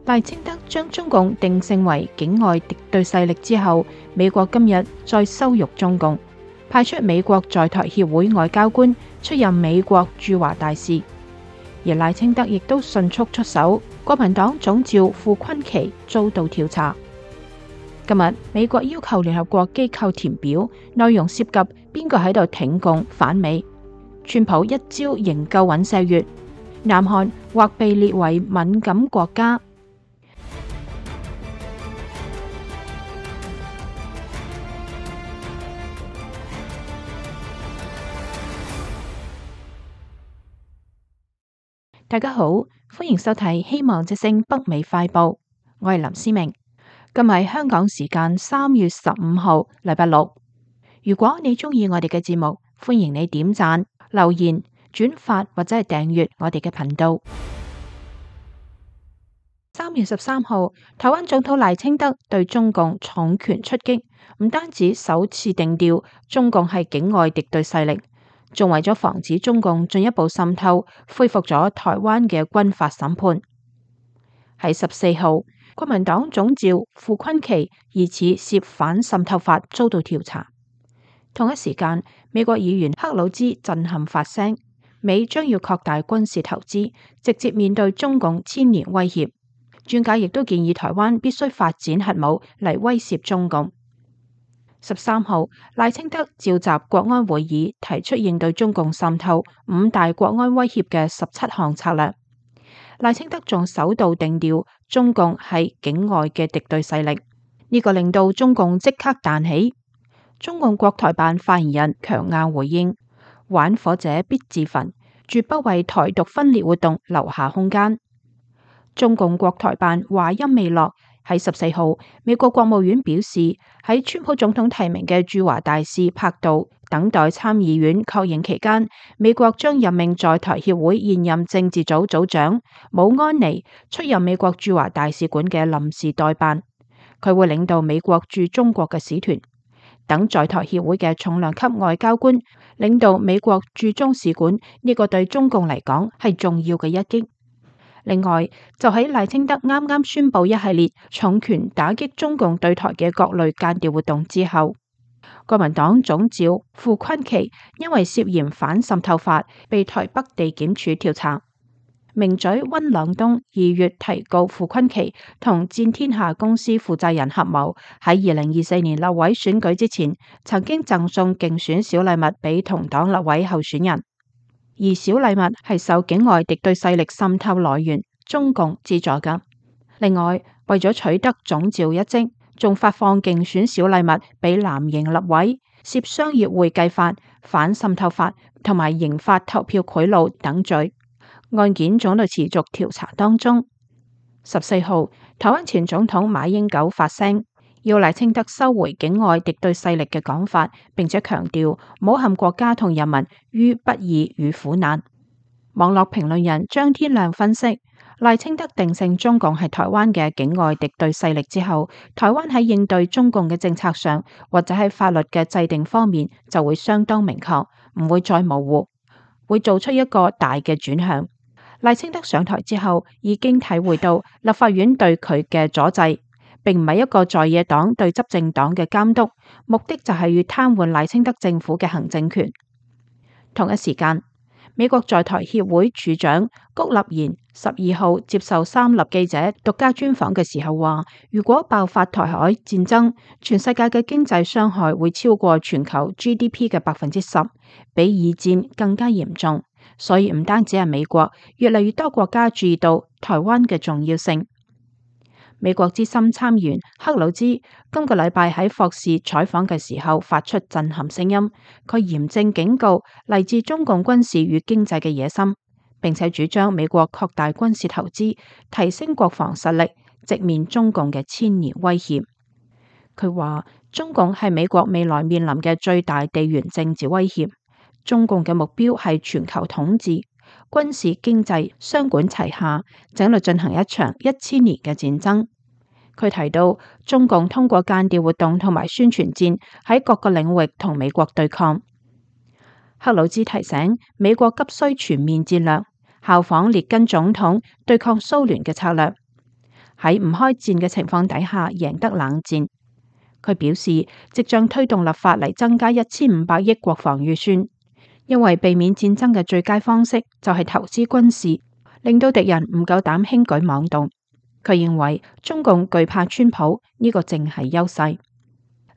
賴清德將中共定性為境外敵對勢力之後，美國今日再羞辱中共，派出美國在台協會外交官出任美國駐華大使，而賴清德亦都迅速出手，國民黨總召傅崑萁遭到調查。今日美國要求聯合國機構填表，內容涉及邊個喺度挺共反美，川普一招營救尹錫悅，南韓或被列為敏感國家。大家好，歡迎收睇《希望之聲北美快報》，我係林思明。今日係香港時間3月15號，禮拜六。如果你鍾意我哋嘅節目，歡迎你點讚、留言、轉發或者係訂閱我哋嘅頻道。3月13號，台灣總統賴清德對中共重拳出擊，唔單止首次定調中共係境外敵對勢力，仲為咗防止中共進一步滲透，恢復咗台灣嘅軍法審判。喺14號，國民黨總召傅崑萁疑似涉反滲透法遭到調查。同一時間，美國議員克魯茲震撼發聲，美將要擴大軍事投資，直接面對中共千年威脅。專家亦都建議台灣必須發展核武嚟威懾中共。13號，賴清德召集國安會議，提出應對中共滲透5大國安威脅嘅17項策略。賴清德仲首度定調中共係境外嘅敵對勢力，呢個令到中共即刻彈起。中共國台辦發言人強硬回應：玩火者必自焚，絕不為台獨分裂活動留下空間。中共國台辦話音未落，喺14號，美國國務院表示，喺川普總統提名嘅駐華大使柏杜等待參議院確認期間，美國將任命在台協會現任政治組組長武安妮出任美國駐華大使館嘅臨時代辦，佢會領導美國駐中國嘅使團，等在台協會嘅重量級外交官領導美國駐中使館，呢個對中共嚟講係重要嘅一擊。另外，就喺賴清德啱啱宣布一系列重拳打擊中共對台嘅各類間諜活動之後，國民黨總召傅崑萁因為涉嫌反滲透法被台北地檢署調查。名嘴溫朗東2月提告傅崑萁同戰天下公司負責人合謀喺2024年立委選舉之前，曾經贈送競選小禮物俾同黨立委候選人。而小禮物係受境外敵對勢力滲透來源中共資助㗎。另外，為咗取得總召一職，仲發放競選小禮物俾藍營立委，涉商業會計法、反滲透法同埋刑法投票賄賂等罪。案件仲喺度持續調查當中。14號，台灣前總統馬英九發聲，要賴清德收回境外敵對勢力嘅講法，並且強調唔好陷國家同人民於不義與苦難。網絡評論人張天亮分析，賴清德定性中共係台灣嘅境外敵對勢力之後，台灣喺應對中共嘅政策上，或者喺法律嘅制定方面就會相當明確，唔會再模糊，會做出一個大嘅轉向。賴清德上台之後，已經體會到立法院對佢嘅阻滯，並唔係一個在野黨對執政黨嘅監督，目的就係要癱瘓賴清德政府嘅行政權。同一時間，美國在台協會處長谷立言12號接受三立記者獨家專訪嘅時候話，如果爆發台海戰爭，全世界嘅經濟傷害會超過全球 GDP 嘅10%，比二戰更加嚴重。所以唔單止係美國，越嚟越多國家注意到台灣嘅重要性。美國資深參議員克魯茲今個禮拜喺霍士採訪嘅時候發出震撼聲音，佢嚴正警告嚟自中共軍事與經濟嘅野心，並且主張美國擴大軍事投資，提升國防實力，直面中共嘅千年威脅。佢話中共係美國未來面臨嘅最大地緣政治威脅，中共嘅目標係全球統治，軍事、經濟雙管齊下，正喺度進行一場1000年嘅戰爭。佢提到，中共通過間諜活動同埋宣傳戰喺各個領域同美國對抗。克魯茲提醒，美國急需全面戰略，效仿列根總統對抗蘇聯嘅策略。喺唔開戰嘅情況底下贏得冷戰。佢表示，即將推動立法嚟增加1500億國防預算，因為避免戰爭嘅最佳方式就係投資軍事，令到敵人唔夠膽輕舉妄動。佢認為中共懼怕川普，呢個正係優勢。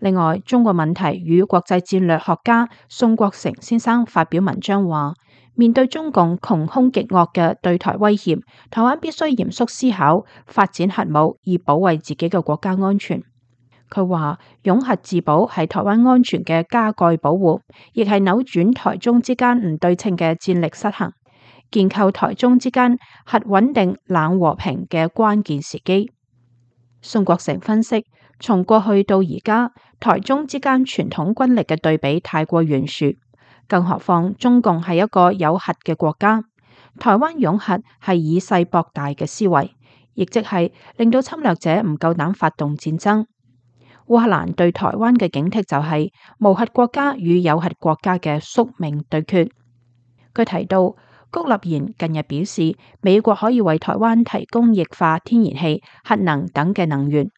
另外，中國問題與國際戰略學家宋國成先生發表文章話，面對中共窮兇極惡嘅對台威脅，台灣必須嚴肅思考發展核武以保衛自己嘅國家安全。佢話擁核自保係台灣安全嘅加蓋保護，亦係扭轉台中之間唔對稱嘅戰力失衡，建構台中之間核穩定冷和平嘅關鍵時機。宋國成分析，從過去到而家，台中之間傳統軍力嘅對比太過懸殊，更何況中共係一個有核嘅國家，台灣擁核係以細博大嘅思維，亦即係令到侵略者唔夠膽發動戰爭。烏克蘭對台灣嘅警惕就係無核國家與有核國家嘅宿命對決。佢提到，谷立言近日表示，美國可以為台灣提供液化天然氣、核能等嘅能源。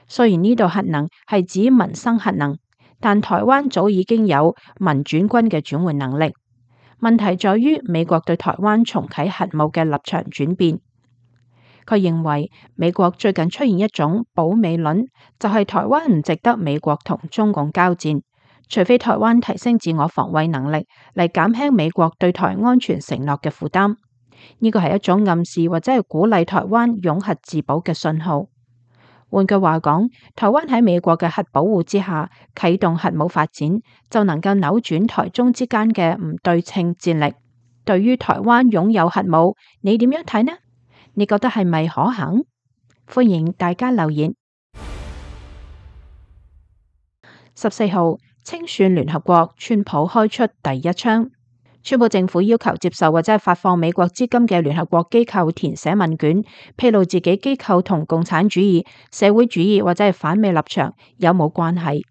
雖然呢度核能係指民生核能，但台灣早已經有民轉軍嘅轉換能力。問題在於美國對台灣重啟核武嘅立場轉變。佢認為美國最近出現一種保美論，就係台灣唔值得美國同中共交戰，除非台灣提升自我防衛能力嚟減輕美國對台安全承諾嘅負擔。呢個係一種暗示或者係鼓勵台灣擁核自保嘅信號。換句話講，台灣喺美國嘅核保護之下啟動核武發展，就能夠扭轉台中之間嘅唔對稱戰力。對於台灣擁有核武，你點樣睇呢？你覺得係咪可行？歡迎大家留言。14號清算聯合國，川普開出第一槍。川普政府要求接受或者係發放美國資金嘅聯合國機構填寫問卷，披露自己機構同共產主義、社會主義或者係反美立場有冇關係。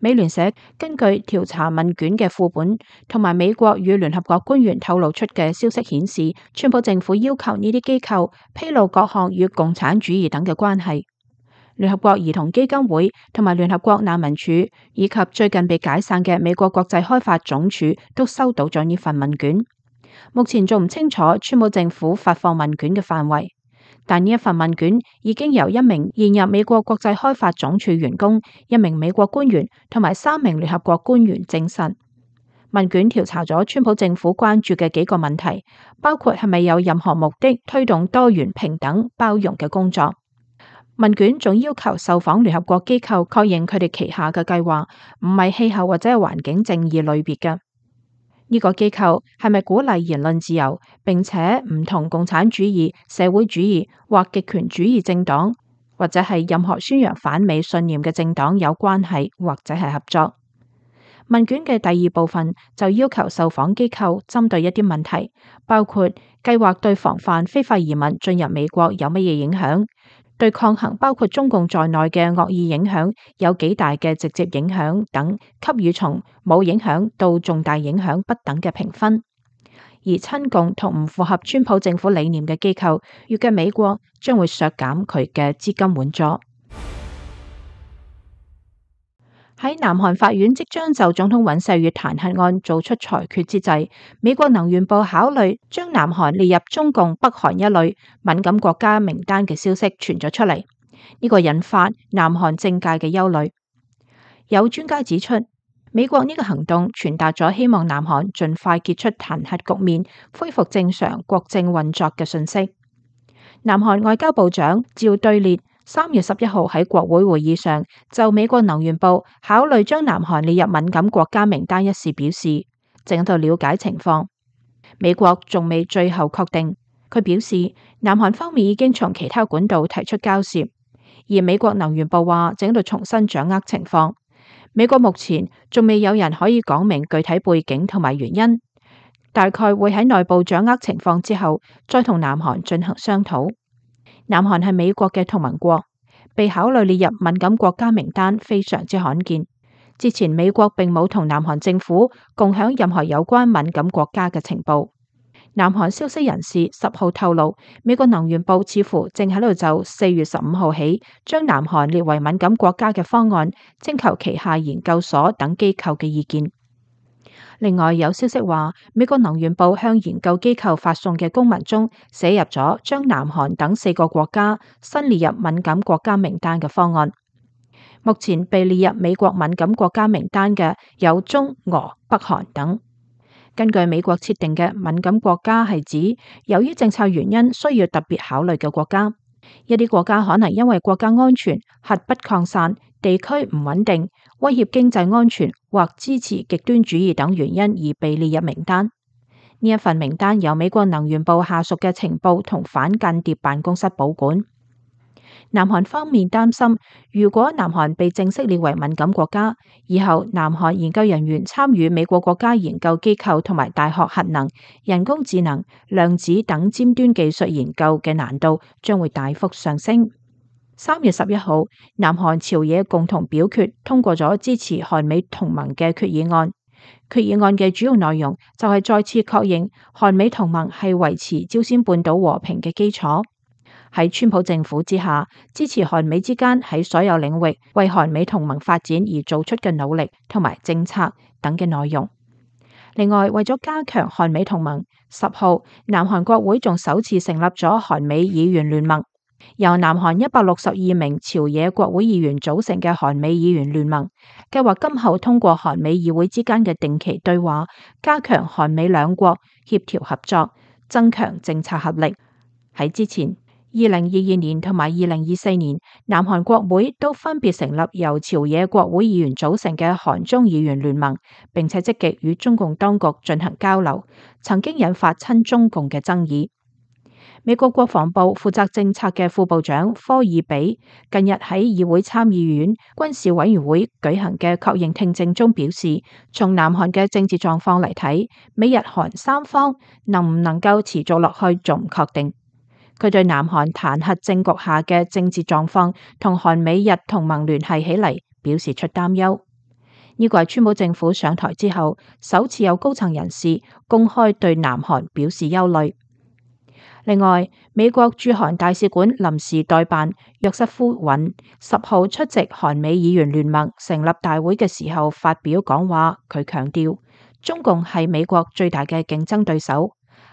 美聯社根據調查問卷嘅副本同埋美國與聯合國官員透露出嘅消息顯示，川普政府要求呢啲機構披露各項與共產主義等嘅關係。聯合國兒童基金會同埋聯合國難民署以及最近被解散嘅美國國際開發總署都收到咗呢份問卷。目前仲唔清楚川普政府發放問卷嘅範圍，但呢一份問卷已經由一名現任美國國際開發總署員工、一名美國官員同埋3名聯合國官員證實。問卷調查咗川普政府關注嘅幾個問題，包括係咪有任何目的推動多元、平等、包容嘅工作。問卷仲要求受訪聯合國機構確認佢哋旗下嘅計劃唔係氣候或者係環境正義類別嘅。呢個機構係咪鼓勵言論自由，並且唔同共產主義、社會主義或極權主義政黨，或者係任何宣揚反美信念嘅政黨有關係或者係合作？問卷嘅第二部分就要求受訪機構針對一啲問題，包括計劃對防範非法移民進入美國有乜嘢影響，對抗衡包括中共在內嘅惡意影響有幾大嘅直接影響等，給予從冇影響到重大影響不等嘅評分。而親共同唔符合川普政府理念嘅機構，預計美國將會削減佢嘅資金援助。喺南韓法院即將就總統尹錫悅彈劾案做出裁決之際，美國能源部考慮將南韓列入中共北韓一類敏感國家名單嘅消息傳咗出嚟，呢個引發南韓政界嘅憂慮。有專家指出，美國呢個行動傳達咗希望南韓盡快結束彈劾局面，恢復正常國政運作嘅訊息。南韓外交部長趙對列3月11號喺國會會議上就美國能源部考慮將南韓列入敏感國家名單一事表示，正喺度了解情況。美國仲未最後確定。佢表示，南韓方面已經從其他管道提出交涉，而美國能源部話正喺度重新掌握情況。美國目前仲未有人可以講明具體背景同埋原因，大概會喺內部掌握情況之後，再同南韓進行商討。南韓係美國嘅同盟國，被考慮列入敏感國家名單非常之罕見。之前美國並冇同南韓政府共享任何有關敏感國家嘅情報。南韓消息人士10號透露，美國能源部似乎正喺度就4月15號起將南韓列為敏感國家嘅方案徵求旗下研究所等機構嘅意見。另外有消息話，美國能源部向研究機構發送嘅公文中寫入咗將南韓等4個國家新列入敏感國家名單嘅方案。目前被列入美國敏感國家名單嘅有中、俄、北韓等。根據美國設定嘅敏感國家係指由於政策原因需要特別考慮嘅國家，一啲國家可能因為國家安全、核不擴散、地區唔穩定、威脅經濟安全或支持極端主義等原因而被列入名單。呢一份名單由美國能源部下屬嘅情報同反間諜辦公室保管。南韓方面擔心，如果南韓被正式列為敏感國家，以後南韓研究人員參與美國國家研究機構同埋大學核能、人工智能、量子等尖端技術研究嘅難度將會大幅上升。3月11號，南韓朝野共同表決通過咗支持韓美同盟嘅決議案。決議案嘅主要內容就係再次確認韓美同盟係維持朝鮮半島和平嘅基礎。喺川普政府之下，支持韓美之間喺所有領域為韓美同盟發展而做出嘅努力同埋政策等嘅內容。另外，為咗加強韓美同盟，10號南韓國會仲首次成立咗韓美議員聯盟，由南韓162名朝野國會議員組成嘅韓美議員聯盟，計劃今後通過韓美議會之間嘅定期對話，加強韓美兩國協調合作，增強政策合力。喺之前2022年同埋2024年，南韓國會都分別成立由朝野國會議員組成嘅韓中議員聯盟，並且積極與中共當局進行交流，曾經引發親中共嘅爭議。美國國防部負責政策嘅副部長科爾比近日喺議會參議院軍事委員會舉行嘅確認聽證中表示，從南韓嘅政治狀況嚟睇，美日韓三方能唔能夠持續落去仲唔確定。佢對南韓彈劾政局下嘅政治狀況同韓美日同盟聯繫起嚟表示出擔憂。呢個係川普政府上台之後首次有高層人士公開對南韓表示憂慮。另外，美國駐韓大使館臨時代辦約瑟夫尹10號出席韓美議員聯盟成立大會嘅時候發表講話，佢強調中共係美國最大嘅競爭對手。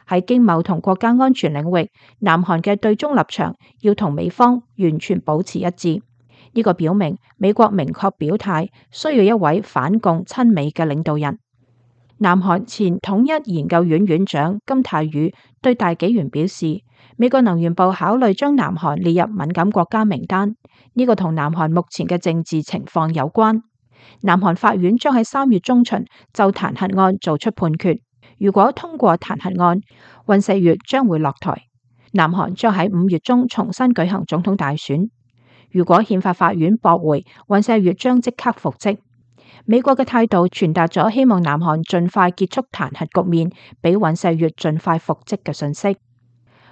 喺經貿同國家安全領域，南韓嘅對中立場要同美方完全保持一致。呢個表明美國明確表態需要一位反共親美嘅領導人。南韓前統一研究院院長金泰宇對大紀元表示，美國能源部考慮將南韓列入敏感國家名單，呢個同南韓目前嘅政治情況有關。南韓法院將喺3月中旬就彈劾案做出判決。如果通過彈劾案，尹錫悅將會落台，南韓將喺5月中重新舉行總統大選。如果憲法法院駁回，尹錫悅將即刻復職。美國嘅態度傳達咗希望南韓盡快結束彈劾局面，俾尹錫悅盡快復職嘅訊息。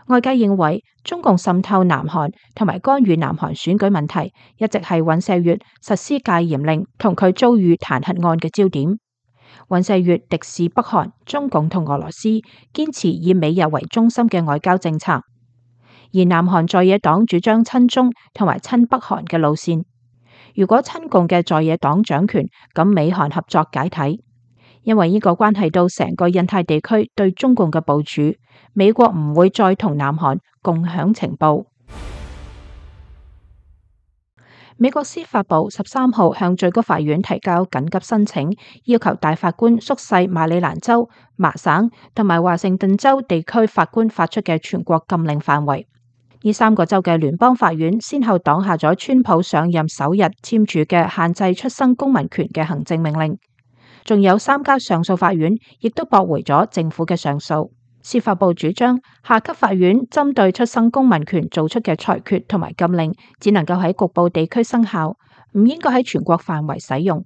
外界認為中共滲透南韓同埋干預南韓選舉問題，一直係尹錫悅實施戒嚴令同佢遭遇彈劾案嘅焦點。尹錫悅敵視北韓、中共同俄羅斯，堅持以美日為中心嘅外交政策，而南韓在野黨主張親中同埋親北韓嘅路線。如果親共嘅在野黨掌權，咁美韓合作解體，因為呢個關係到成個印太地區對中共嘅部署，美國唔會再同南韓共享情報。美國司法部13號向最高法院提交緊急申請，要求大法官縮細馬里蘭州、麻省同埋華盛頓州地區法官發出嘅全國禁令範圍。呢3個州嘅聯邦法院先後擋下咗川普上任首日簽署嘅限制出生公民權嘅行政命令，仲有3家上訴法院亦都駁回咗政府嘅上訴。司法部主張下級法院針對出生公民權做出嘅裁決同埋禁令，只能夠喺局部地區生效，唔應該喺全國範圍使用。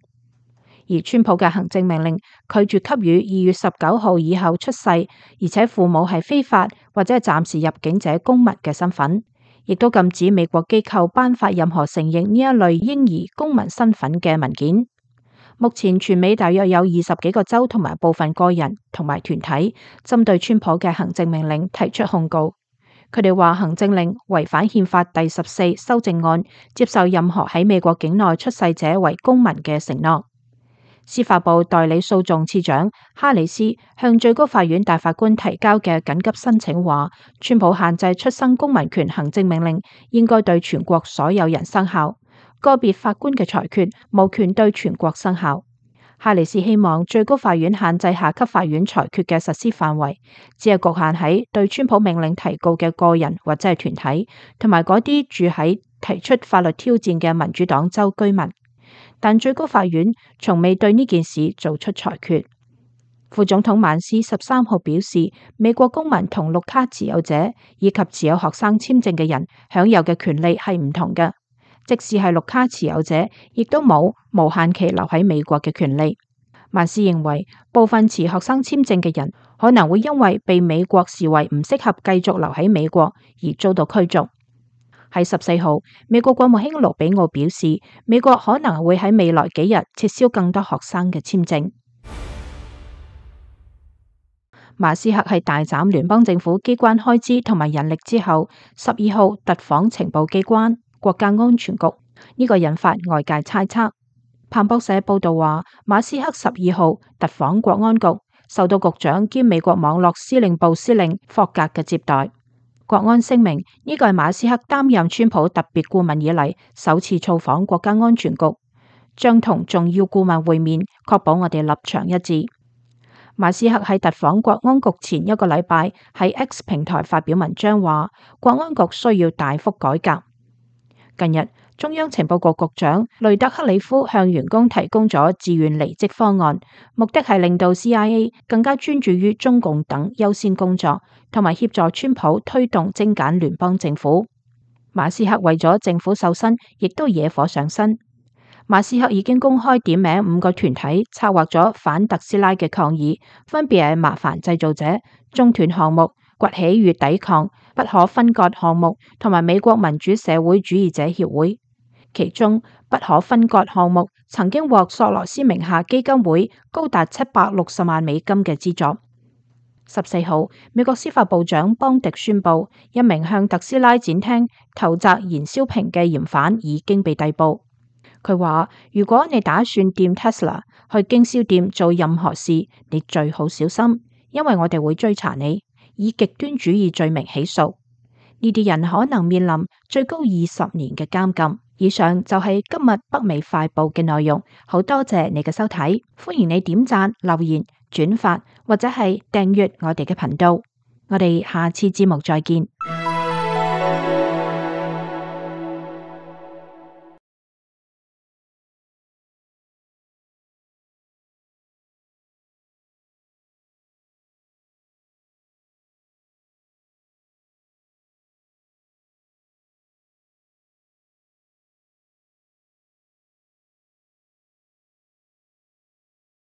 而川普嘅行政命令拒絕給予2月19號以後出世，而且父母係非法或者係暫時入境者公民嘅身份，亦都禁止美國機構頒發任何承認呢一類嬰兒公民身份嘅文件。目前全美大約有20幾個州同埋部分個人同埋團體針對川普嘅行政命令提出控告。佢哋話行政令違反憲法第14修正案，接受任何喺美國境內出世者為公民嘅承諾。司法部代理訴訟次長哈里斯向最高法院大法官提交嘅緊急申請話，川普限制出生公民權行政命令應該對全國所有人生效，個別法官嘅裁決無權對全國生效。哈里斯希望最高法院限制下級法院裁決嘅實施範圍，只係局限喺對川普命令提告嘅個人或者係團體，同埋嗰啲住喺提出法律挑戰嘅民主黨州居民。但最高法院從未對呢件事做出裁決。副總統曼斯13號表示，美國公民同綠卡持有者以及持有學生簽證嘅人享有嘅權利係唔同嘅，即使係綠卡持有者，亦都冇無限期留喺美國嘅權利。曼斯認為，部分持學生簽證嘅人可能會因為被美國視為唔適合繼續留喺美國而遭到驅逐。喺14號，美國國務卿盧比奧表示，美國可能會喺未來幾日撤銷更多學生嘅簽證。馬斯克係大斬聯邦政府機關開支同埋人力之後，12號突訪情報機關、國家安全局，呢個引發外界猜測。彭博社報道話，馬斯克12號突訪國安局，受到局長兼美國網絡司令部司令霍格嘅接待。國安聲明，呢個係馬斯克擔任川普特別顧問以嚟首次造訪國家安全局，將同重要顧問會面，確保我哋立場一致。馬斯克喺突訪國安局前一個禮拜喺 X 平台發表文章話，國安局需要大幅改革。近日，中央情報局局長雷德克里夫向員工提供咗自願離職方案，目的係令到 CIA 更加專注於中共等優先工作，同埋協助川普推動精簡聯邦政府。馬斯克為咗政府瘦身，亦都惹火上身。馬斯克已經公開點名5個團體策劃咗反特斯拉嘅抗議，分別係麻煩製造者、中斷項目、崛起與抵抗、不可分割項目同埋美國民主社會主義者協會。其中不可分割項目曾經獲索羅斯名下基金會高達760萬美金嘅資助。14號，美國司法部長邦迪宣布，一名向特斯拉展廳投擲燃燒瓶嘅嫌犯已經被逮捕。佢話：如果你打算掂 Tesla 去經銷店做任何事，你最好小心，因為我哋會追查你，以極端主義罪名起訴。呢啲人可能面臨最高20年嘅監禁。以上就係今日北美快報嘅內容，好多謝你嘅收睇，歡迎你點讚、留言、轉發或者係訂閱我哋嘅頻道。我哋下次節目再見。